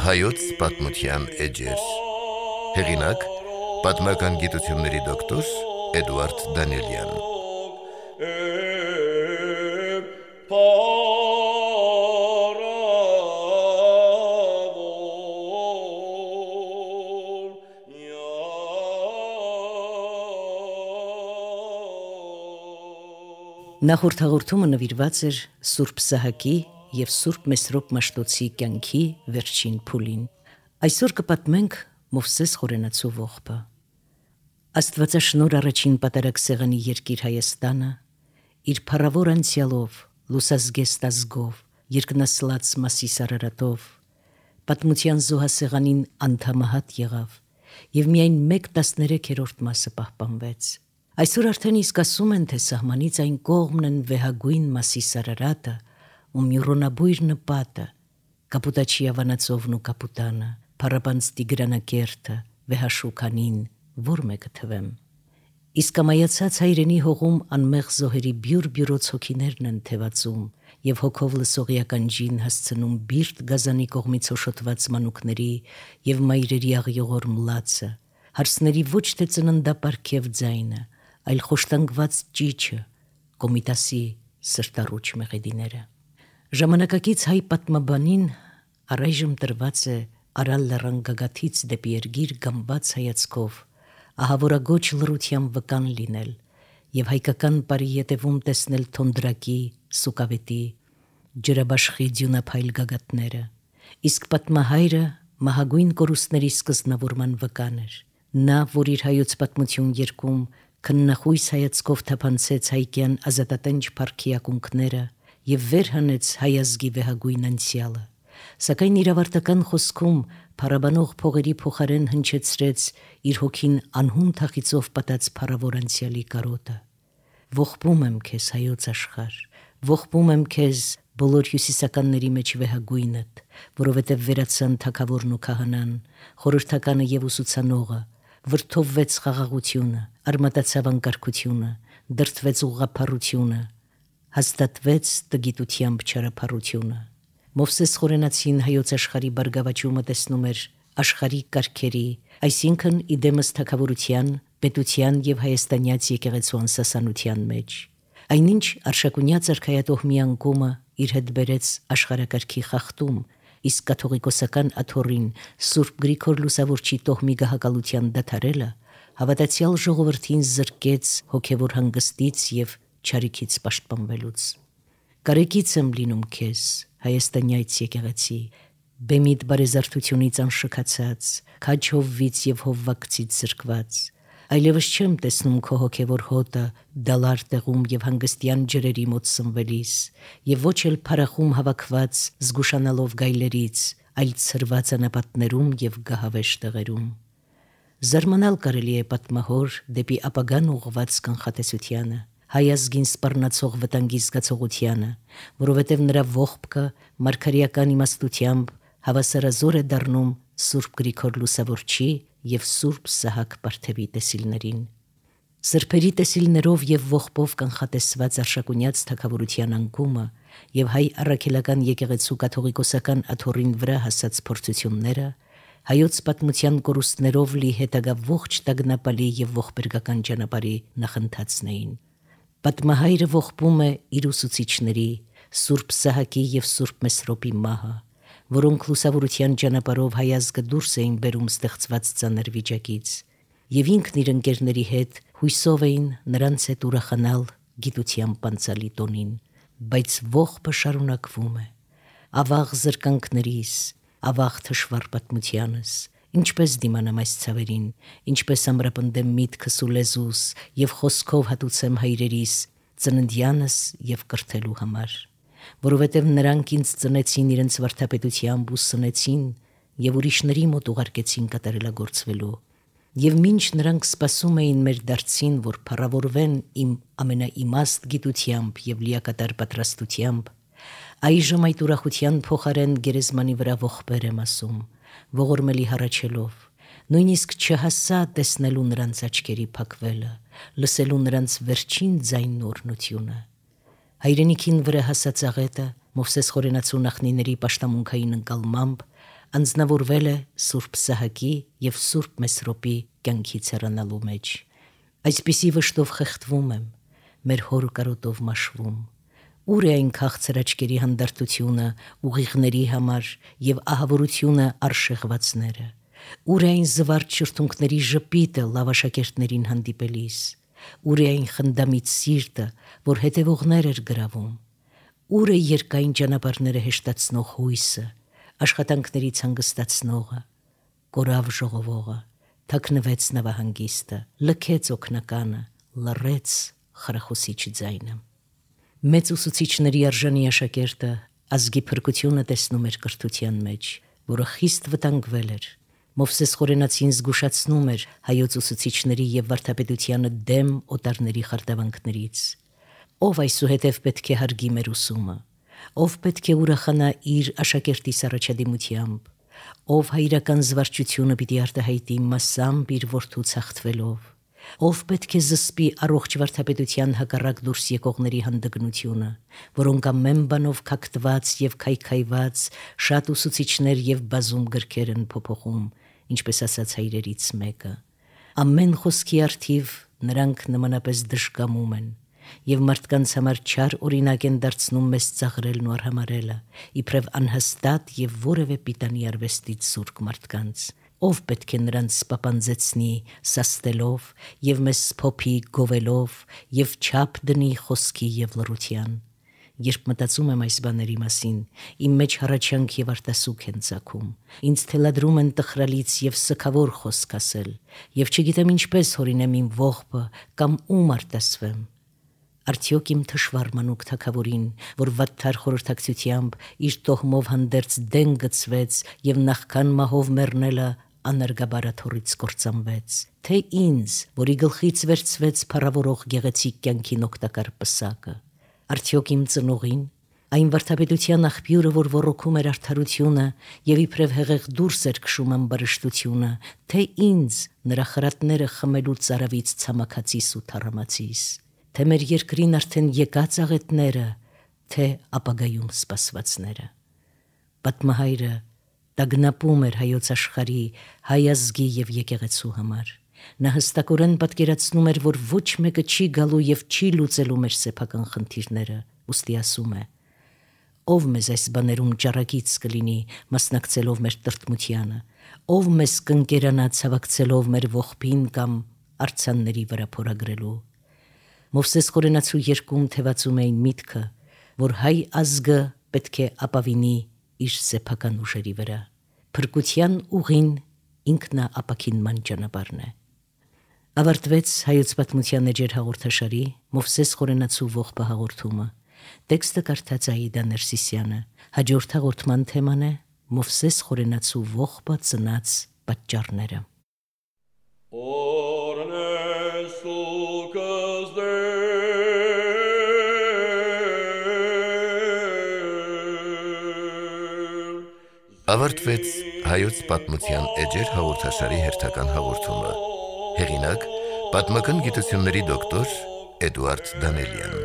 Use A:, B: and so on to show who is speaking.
A: Հայոց պատմության էջեր։ Հեղինակ՝ պատմական գիտությունների դոկտոր Էդուարդ Դանիելյան։
B: Նախորդ հաղորդումը նվիրված էր Սուրբ Սահակի և Սուրբ Մեսրոպ Մաշտոցի կյանքի վերջին փուլին։ Այսօր կպատմենք Մովսես Խորենացու ողբը։ Աստվածաշնորհ առաջին պատարագ երկիր Հայաստանը իր փառավոր անցյալով, լուսազգեստ ազգով, երկնասլաց Մասիս Արարատով պատմության զոհասեղանին անդամահատ եղավ և միայն 1/13 մասը պահպանվեց։ Այսօր արդեն իսկ ասում են, թե սահմանից այն կողմն են վեհագույն Մասիս Արարատը ու Մյուրոնաբույր նպատը, Կապուտաչի Ավանածովն ու Կապուտանը, Փառապանծ Տիգրանակերտը, Վեհաշուքանին, որ մեկը թվեմ։ Իսկ ամայացած հայրենի հողում անմեղ զոհերի բյուր-բյուրոց հոգիներն են թևածում և հոգով լսողի ականջին հասցնում բիրտ գազանի կողմից հոշոտված մանուկների և մայրերի աղյողոր մլացը, հարսների ոչ թե ծննդապարգև ձայնը, այլ խոշտանգված ճիչը, Կոմիտասի սրտառուչ մեղեդիները։ Ժամանակակից հայ պատմաբանին առայժմ տրված է Արալ լեռան գագաթից դեպի Էրգիր գամբաց հայացքով ահավորագոչ լռության վկան լինել և հայկական պարի ետևում տեսնել Թոնդրակի, Սուկավետի, Ջրաբաշխի դյունափայլ գագաթները, իսկ պատմահայրը մահագույն կորուստների սկզբնավորման վկան էր։ Նա, որ իր հայոց պատմություն երկում քննախույս հայացքով թափանցեց հայկյան ազատատենչ փառքի ակունքները և վեր հանեց հայ ազգի վեհագույն անցյալը, սակայն իր ավարտական խոսքում փառաբանող փողերի փոխարեն հնչեցրեց իր հոգին անհուն թախիծով պատած փառավոր անցյալի կարոտը։ Ողբում եմ քեզ, հայոց աշխարհ, ողբում եմ քեզ բոլոր հյուսիսականների մեջ վեհագույնդ, որովհետև վերացան թագավորն ու քահանան, խորհրդականը և ուսուցանողը, վրդովվեց խաղաղությունը, արմատացավ անկարգությունը, դրդվեց ուղղափառությունը, հաստատվեց տգիտությամբ չարափառությունը։ Մովսես Խորենացին հայոց աշխարհի բարգավաճումը տեսնում էր աշխարհի կարգերի, այսինքն իդեմս թագավորության, պետության և հայաստանյաց եկեղեցու անսասանության մեջ։ Այնինչ Արշակունյաց արքայատոհմի անկումը իր հետ բերեց աշխարհակարգի խախտում, իսկ կաթողիկոսական աթոռին Սուրբ Գրիգոր Լուսավորչի տոհմի գահակալության դադարելը հավատացյալ ժողովրդին զրկեց հոգևոր հանգստից և չարիքից պաշտպանվելուց։ Կարեկից եմ լինում քեզ, հայաստանյաց եկեղեցի, բեմիդ բարեզարդությունից անշքացած, քաջ հովվից և հովվակցից զրկված, այլևս չեմ տեսնում քո հոգևոր հոտը դալար տեղում և հանգստյան ջրերի մոտ սնվելիս, և ոչ էլ փառախում հավաքված զգուշանալով գայլերից, այլ ցրված անապատներում և գահավեժ տեղերում։ Զարմանալ կարելի է պատմահոր դեպի ապագան ուղղված կանխատեսությանը, հայ ազգին սպառնացող վտանգի զգացողությանը, որովհետև նրա ողբքը մարգարեական իմաստությամբ հավասարազոր է դառնում Սուրբ Գրիգոր Լուսավորչի և Սուրբ Սահակ Պարթևի տեսիլներին։ Սրբերի տեսիլներով և ողբով կանխատեսված Արշակունյաց թագավորության անկումը և հայ առաքելական եկեղեցու կաթողիկոսական աթոռին վրա հասած փորձությունները հայոց պատմության կորուստներով լի հետագա ողջ տագնապալի և ողբերգական ճանապարհի նախընթացն էին։ Պատմահայրը ողբում է իր ուսուցիչների, Սուրբ Սահակի և Սուրբ Մեսրոպի մահը, որոնք լուսավորության ճանապարհով հայ ազգը դուրս էին բերում ստեղծված ծանր վիճակից, և ինքն իր ընկերների հետ հույսով էին նրանց հետ ուրախանալ գիտության պանծալի տոնին, բայց ողբը շարունակվում է։ Ավաղ զրկանքներիս, ավաղ թշվառ պատմությանս, ինչպես դիմանամ այս ցավերին, ինչպես ամրապնդեմ միտքս ու լեզուս և խոսքով հատուցեմ հայրերիս, ծննդյանս և կրթելու համար, որովհետև նրանք ինձ ծնեցին իրենց վարդապետությամբ ու սնեցին և ուրիշների մոտ ուղարկեցին կատարելագործվելու, և մինչ նրանք սպասում էին մեր դարձին, որ փառավորվեն իմ ամենաիմաստ գիտությամբ և լիակատար պատրաստությամբ, այժմ այդ ուրախության փոխարեն գերեզմանի վրա ողբեր եմ ասում, ողորմելի հառաչելով, նույնիսկ չհասա տեսնելու նրանց աչքերի փակվելը, լսելու նրանց վերջին ձայնն ու օրհնությունը։ Հայրենիքին վրա հասած աղետը Մովսես Խորենացու նախնիների պաշտամունքային ընկալմամբ անձնավորվել է Սուրբ Սահակի եւ Սուրբ Մեսրոպի կյանքից հեռանալու մեջ։ Այսպիսի վշտով խեղդվում եմ, մեր հոր կարոտով մաշվում։ Ուր է այն քաղցր աչքերի հանդարտությունը ուղիղների համար եւ ահավորությունը արշեղվածները։ Ուր է այն զվարճ շրթունքների ժպիտը լավաշակերտներին հանդիպելիս։ Ուր է այն խնդամիտ սիրտը, որ հետևողներ էր գրավում։ Ուր է երկայն ճանապարհները հեշտացնող հույսը, աշխատանքներից հանգստացնողը, կորավ ժողովողը, թաքնվեց նավահանգիստը, լքեց օգնականը, լռեց խրախուսիչ ձայնը։ Մեծ ուսուցիչների արժանի աշակերտը ազգի փրկությունը տեսնում էր կրթության մեջ, որը խիստ վտանգվել էր։ Մովսես Խորենացին զգուշացնում էր հայոց ուսուցիչների եւ վարդապետությանը դեմ օտարների խարդավանքներից։ Ով այսուհետև պետք է հարգի մեր ուսումը, ով պետք է ուրախանա իր աշակերտի առաջադիմությամբ, ով հայրական զվարճությունը պիտի արտահայտի մասամբ իր որդու ցախտվելով, ով պետք է զսպի առողջ վարդապետության հակառակ դուրս եկողների հանդգնությունը, որոնք ամեն բանով քակտված եւ քայքայված շատ ուսուցիչներ եւ բազում գրքեր են փոփոխում, ինչպես ասաց հայրերից մեկը։ Ամեն խոսքի արդիվ նրանք նմանապես դժկամում են եւ մարդկանց համար չար օրինակ են դարձնում մեզ ծաղրելն ու արհամարելը, իբրև անհաստատ եւ որևէ պիտանի արվեստից զուրկ մարդկանց։ Ով պետք է նրանց պապանձեցնի սաստելով եւ մեզ փոփի գովելով եւ չափ դնի խոսքի եւ լռության։ Երբ մտածում եմ այս բաների մասին, իմ մեջ հառաչանք եւ արտասուք են ծագում։ Ինձ թելադրում են տխրալից եւ սգավոր խոսք ասել, եւ չգիտեմ ինչպես հորինեմ իմ ողբը կամ ում արտասվեմ։ Արդյոք իմ թշվառ մանուկ թագավորին, որ վատթար խորհրդակցությամբ իր տոհմով հանդերձ դեն գծվեց եւ նախքան մահով մեռնելը անարգաբարաթորից կործանվեց, թե ինձ, որի գլխից վերցվեց փառավորող գեղեցիկ կյանքին օգտակար պսակը, արդյոք իմ ծնողին, այն վարդապետության աղբյուրը, որ ոռոգում էր արդարությունը եւ իբրև հեղեղ դուրս էր քշում ամբարշտությունը, թե ինձ, նրա խրատները խմելու ծարավից ցամաքացիս ու թառամացիս, թե մեր երկրին արդեն եկած աղետները, թե ապագայում սպասվածները։ Պատմահայրը տագնապում էր հայոց աշխարհի, հայ ազգի եւ եկեղեցու համար։ Նա հստակորեն պատկերացնում էր, որ ոչ մեկը չի գալու եւ չի լուծելու մեր սեփական խնդիրները, ուստի ասում է. ով մեզ այս բաներում ճառագից կլինի, մասնակցելով մեր տրտմությանը, ով մեզ կընկերանա ցավակցելով մեր ողբին կամ արձանների վրա փորագրելու։ Մովսես Խորենացու երկում թևածում էին միտքը, որ հայ ազգը պետք է ապավինի իր սեփական ուժերի վրա։ Փրկության ուղին ինքնաապաքինման ճանապարհն է։ Ավարտվեց հայոց պատմության էջեր հաղորդաշարի Մովսես Խորենացու ողբը հաղորդումը։ Տեքստը կարդաց Աիդա Ներսիսյանը։ Հաջորդ հաղորդման թեման է Մովսես Խորենացու ողբը ծնած պատճառները։
A: Ավարտվեց հայոց պատմության էջեր հաղորդաշարի հերթական հաղորդումը։ Հեղինակ՝ պատմական գիտությունների դոկտոր Էդուարդ Դանելյան։